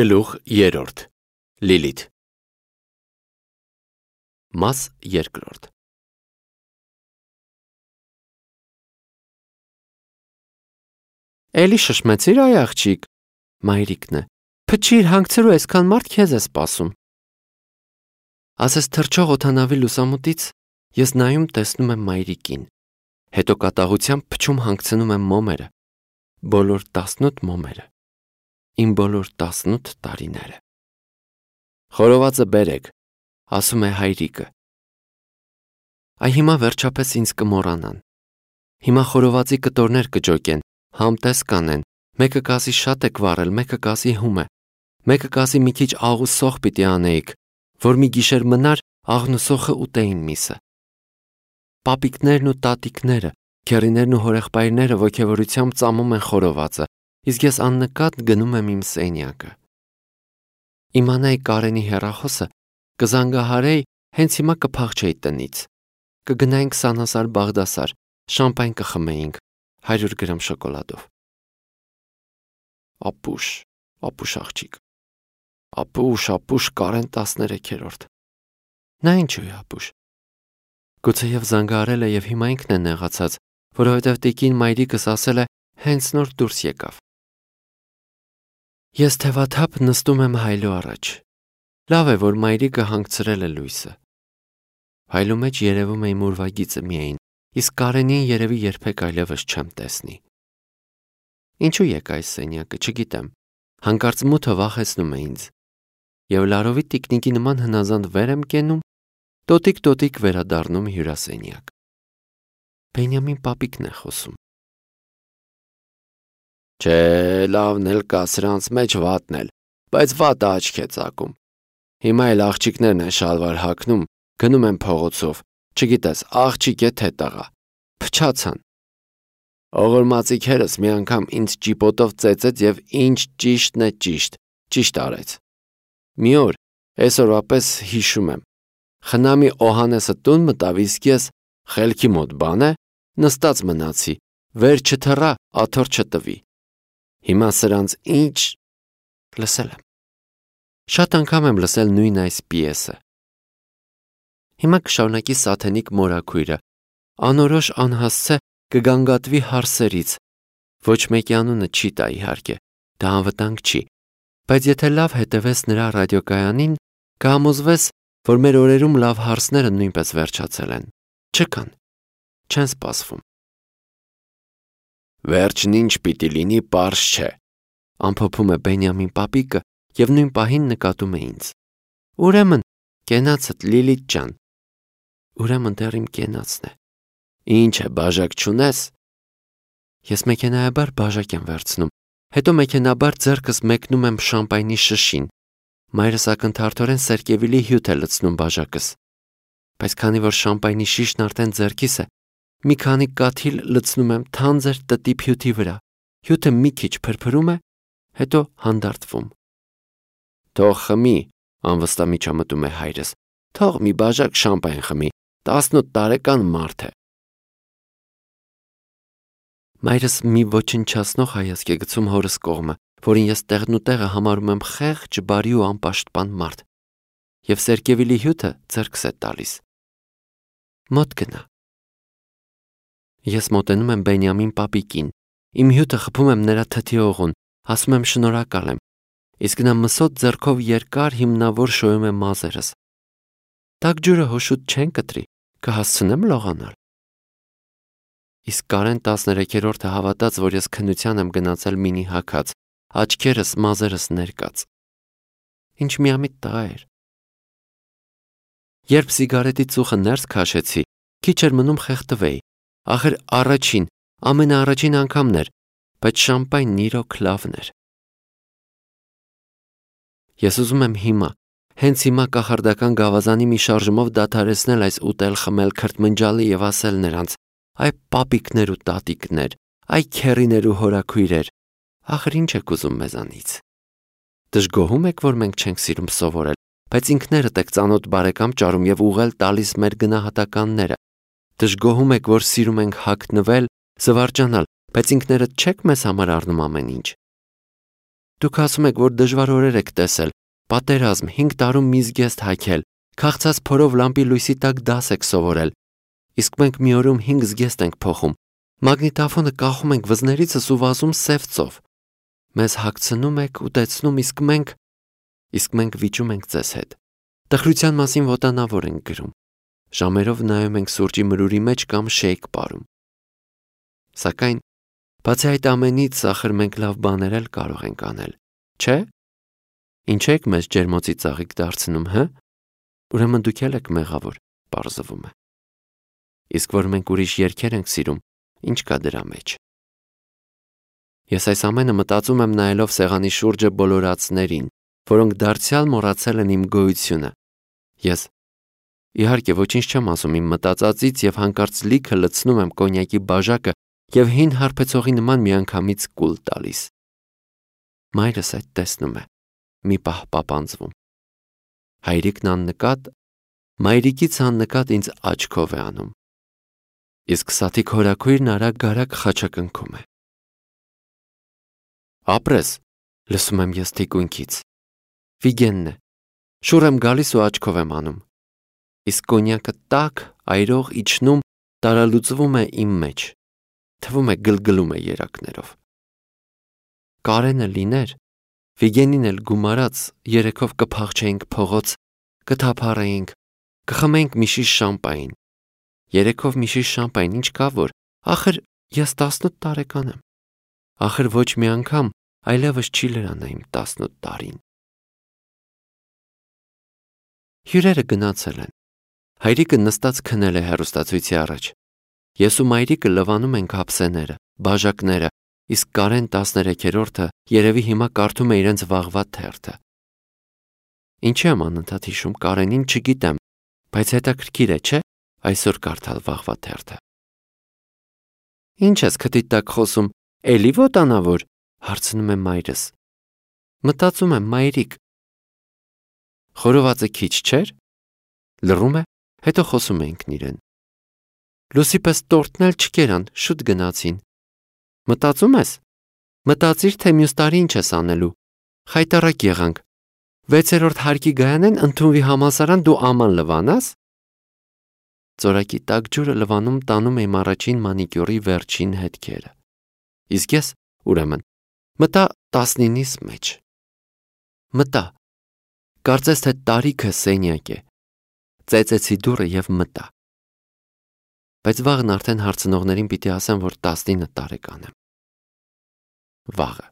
Գլուխ 3 Լիլիթ Մաս 2 Էլի շշմեցիր այ աղջիկ, մայրիկն է, փչիր հանգցրու այսքան մարդ քեզ է սպասում։ Ասես թռչող օդանավի լուսամուտից ես նայում տեսնում եմ մայրիկին, հետո կատաղությամբ փչում հանգցնում եմ մոմերը, բոլոր 18 մոմերը, իմ բոլոր 18 տարիները։ Խորովածը բերեք, ասում է հայրիկը։ Այ հիմա վերջապես ինձ կմոռանան։ Հիմա խորովածի կտորներ կջոկեն, համտես կանեն, մեկը կասի շատ եք վառել, մեկը կասի հում է, մեկը կասի մի քիչ աղ ու սոխ պիտի անեիք, որ մի գիշեր մնար աղն ու սոխը ուտեին միսը։ Պապիկներն ու տատիկները, քեռիներն ու հորեղբայրները ոգևորությամբ ծամում են խորովածը, իսկ ես աննկատ գնում եմ իմ սենյակը։ Իմանայի Կարենի հեռախոսը, կզանգահարեի, հենց հիմա կփախչեի տնից, կգնայինք Սանասար Բաղդասար, շամպայն կխմեինք 100 գրամ շոկոլադով։ Ապուշ աղջիկ, ապուշ Կարեն 13-րդ։ Նա ինչու է ապուշ։ Գուցեև զանգահարել է և հիմա ինքն է նեղացած, որովհետև տիկին մայրիկս ասել է հենց նոր դուրս եկավ։ Ես թևաթափ նստում եմ հայլու առաջ։ Լավ է, որ մայրիկը հանգցրել է լույսը։ Հայլու մեջ երևում է իմ ուրվագիծը միայն, իսկ Կարենին երևի երբեք այլևս չեմ տեսնի։ Ինչու եկա այս սենյակը, չգիտեմ, հանկարծ մութը վախեցնում է ինձ, և լարովի տիկնիկի նման հնազանդ վեր եմ կենում, տոտիկ վերադառնում հյուրասենյակ։ Բենյամին պապիկն է խոսում։ Չէ, լավն էլ կա սրանց մեջ վատն էլ, բայց վատը աչք է ծակում։ Հիմա էլ աղջիկներն են շալվար հագնում, գնում են փողոցով, չգիտես, աղջիկ է թե տղա, փչացան։ Ողորմածիկերս մի անգամ ինձ ճիպոտով ծեծեց և ինչ ճիշտն է ճիշտ արեց։ Մի օր, այսօրվա պես հիշում եմ, խնամի Օհանեսը տուն մտավ, իսկ ես խելքի մոտ բան է, նստած մնացի, վեր չթռա, աթոռ չտվի։ Հիմա սրանց ինչ լսել եմ։ Շատ անգամ եմ լսել նույն այս պիեսը։ Հիմա կշարունակի Սաթենիկ մորաքույրը, անորոշ անհասցե կգանգատվի հարսերից, ոչ մեկի անունը չի տա իհարկե, դա անվտանգ չի, բայց եթե լավ հետևես նրա ռադիոկայանին, կհամոզվես, որ մեր օրերում լավ հարսները նույնպես վերջացել են, չկան, չեն սպասվում։ Վերջն ինչ պիտի լինի, պարզ չէ, ամփոփում է Բենյամին պապիկը և նույն պահին նկատում է ինձ։ Ուրեմն, կենացդ Լիլիթ ջան։ Ուրեմն դեռ իմ կենացն է։ Ինչ է, բաժակ չունես։ Ես մեքենայաբար բաժակ եմ վերցնում, հետո մեքենաբար ձեռքս մեկնում եմ շամպայնի շշին։ Մայրս ակնթարթորեն սերկևիլի հյութ է լցնում բաժակս։ Բայց քանի որ շամպայնի շիշն արդեն ձեռքիս է, մի քանի կաթիլ լցնում եմ թանձր տտիպ հյութի վրա, հյութը մի քիչ փրփրում է, հետո հանդարտվում։ Թող խմի, անվստահ միջամտում է հայրս, թող մի բաժակ շամպայն խմի, 18 տարեկան մարդ է։ Մայրս մի ոչնչացնող հայացք է գցում հորս կողմը, որին ես տեղնուտեղը համարում եմ խեղճ, բարի ու անպաշտպան մարդ, և սերկևիլի հյութը ձեռքս է տալիս։ Մոտ գնա։ Ես մոտենում եմ Բենյամին պապիկին, իմ հյութը խփում եմ նրա թթի օղուն, ասում եմ շնորհակալ եմ, իսկ նա մսոտ ձեռքով երկար հիմնավոր շոյում է մազերս։ Տաք ջուրը հոշուտ չեն կտրի, կհասցնեմ լողանալ։ Իսկ Կարեն 13-րդը հավատաց, որ ես քննության եմ գնացել մինի հագած, աչքերս, մազերս ներկած։ Ինչ միամիտ տղա էր։ Երբ սիգարետի ծուխը ներս քաշեցի, քիչ էր մնում խեղդվեի, ախր ամենաառաջին անգամն էր, բայց շամպայնն իրոք լավն էր։ Ես ուզում եմ հիմա, հենց հիմա կախարդական գավազանի մի շարժումով դադարեցնել այս ուտել խմել քրթմնջալի և ասել նրանց. այ պապիկներ ու տատիկներ, այ քեռիներ ու հորաքույրեր, ախր ինչ եք ուզում մեզանից։ Դժգոհում եք, որ մենք չենք սիրում սովորել, բայց ինքներդ եք ծանոթ բարեկամ ճարում և ուղղել տալիս մեր գնահատականները։ Դժգոհում եք, որ սիրում ենք հագնվել, զվարճանալ, բայց ինքներդ չեք մեզ համար առնում ամեն ինչ։ Դուք ասում եք, որ դժվար օրեր եք տեսել, պատերազմ, 5 տարում մի զգեստ հագել, քաղցած փորով լամպի լույսի տակ դաս եք սովորել, իսկ մենք մի օրում 5 զգեստ ենք փոխում, մագնիտոֆոնը կախում ենք վզներիցս ու վազում սև ծով, մեզ հագցնում եք, ուտեցնում, իսկ մենք վիճում ենք ձեզ հետ, տխրության մասին ոտանավոր ենք գրում, ժամերով նայում ենք սուրճի մրուրի մեջ կամ շեյք պարում, սակայն բացի այդ ամենից ախր մենք լավ բաներ էլ կարող ենք անել, չէ՞։ Ինչ եք մեզ ջերմոցի ծաղիկ դարձնում, հը։ Ուրեմն դուք եք մեղավոր, պարզվում է։ Իսկ որ մենք ուրիշ երգեր ենք սիրում, ինչ կա դրա մեջ։ Ես այս ամենը մտածում եմ նայելով սեղանի շուրջը բոլորացներին, որոնք դարձյալ մոռացել են իմ գոյությունը։ Ես իհարկե ոչինչ չեմ ասում իմ մտածածից եւ հանկարծ լիքը լցնում եմ կոնյակի բաժակը եւ հին հարբեցողի նման միանգամից կուլ տալիս։ Մայրս այդ տեսնում է, մի պահ պապանձվում։ Հայրիկն աննկատ, մայրիկից աննկատ ինձ աչքով է անում։ Իսկ սաթիկ հորաքույրն արագ-արագ խաչակնքում է։ Ապրես, լսում եմ ես թիկունքից։ Վիգենն է։ Շուռ եմ գալիս ու աչքով եմ անում։ Իսկ կոնյակը տաք, այրող իջնում, տարալուծվում է իմ մեջ։ Թվում է գլգլում է երակներով։ Կարենը լիներ, Վիգենին էլ գումարած, երեքով կփախչեինք փողոց, կթափառեինք, կխմեինք մի շիշ շամպայն։ Երեքով մի շիշ շամպայն, ինչ կա որ, ախր ես 18 տարեկան եմ։ Ախր ոչ մի անգամ այլևս չի լրանա իմ 18 տարին։ Հյուրերը գնացել են։ Հայրիկը նստած քնել է հեռուստացույցի առաջ։ Ես ու մայրիկը լվանում ենք ափսեները, բաժակները, իսկ Կարեն 13-րդը երևի հիմա կարդում է իրենց վաղվա թերթը։ Ինչի եմ անընդհատ հիշում Կարենին, չգիտեմ, բայց հետաքրքիր է, չէ՞, այսօր կարդալ վաղվա թերթը։ Ինչ ես քթիդ տակ խոսում, էլի ոտանավոր, հարցնում է մայրս։ Մտածում եմ, մայրիկ։ Խորովածը քիչ չէր։ Լռում է, հետո խոսում է ինքն իրեն։ Լուսի պես տորտն էլ չկերան, շուտ գնացին։ Մտածում ես։ Մտածիր, թե մյուս տարի ինչ ես անելու։ Խայտառակ եղանք։ 6-րդ հարկի գայանեն ընդունվի համալսարան, դու աման լվանաս։ Ծորակի տաք ջուրը լվանում տանում եմ առաջին մանիկյուրի վերջին հետքերը։ Իսկ ես, ուրեմն, մտա 19-ից մեջ։ Մտա։ Կարծես թե տարիքը սենյակ է։ Ծեծեցի դուռը եւ մտա։ Բայց վաղն արդեն հարցնողներին պիտի ասեմ, որ 19 տարեկան եմ։ Վաղը։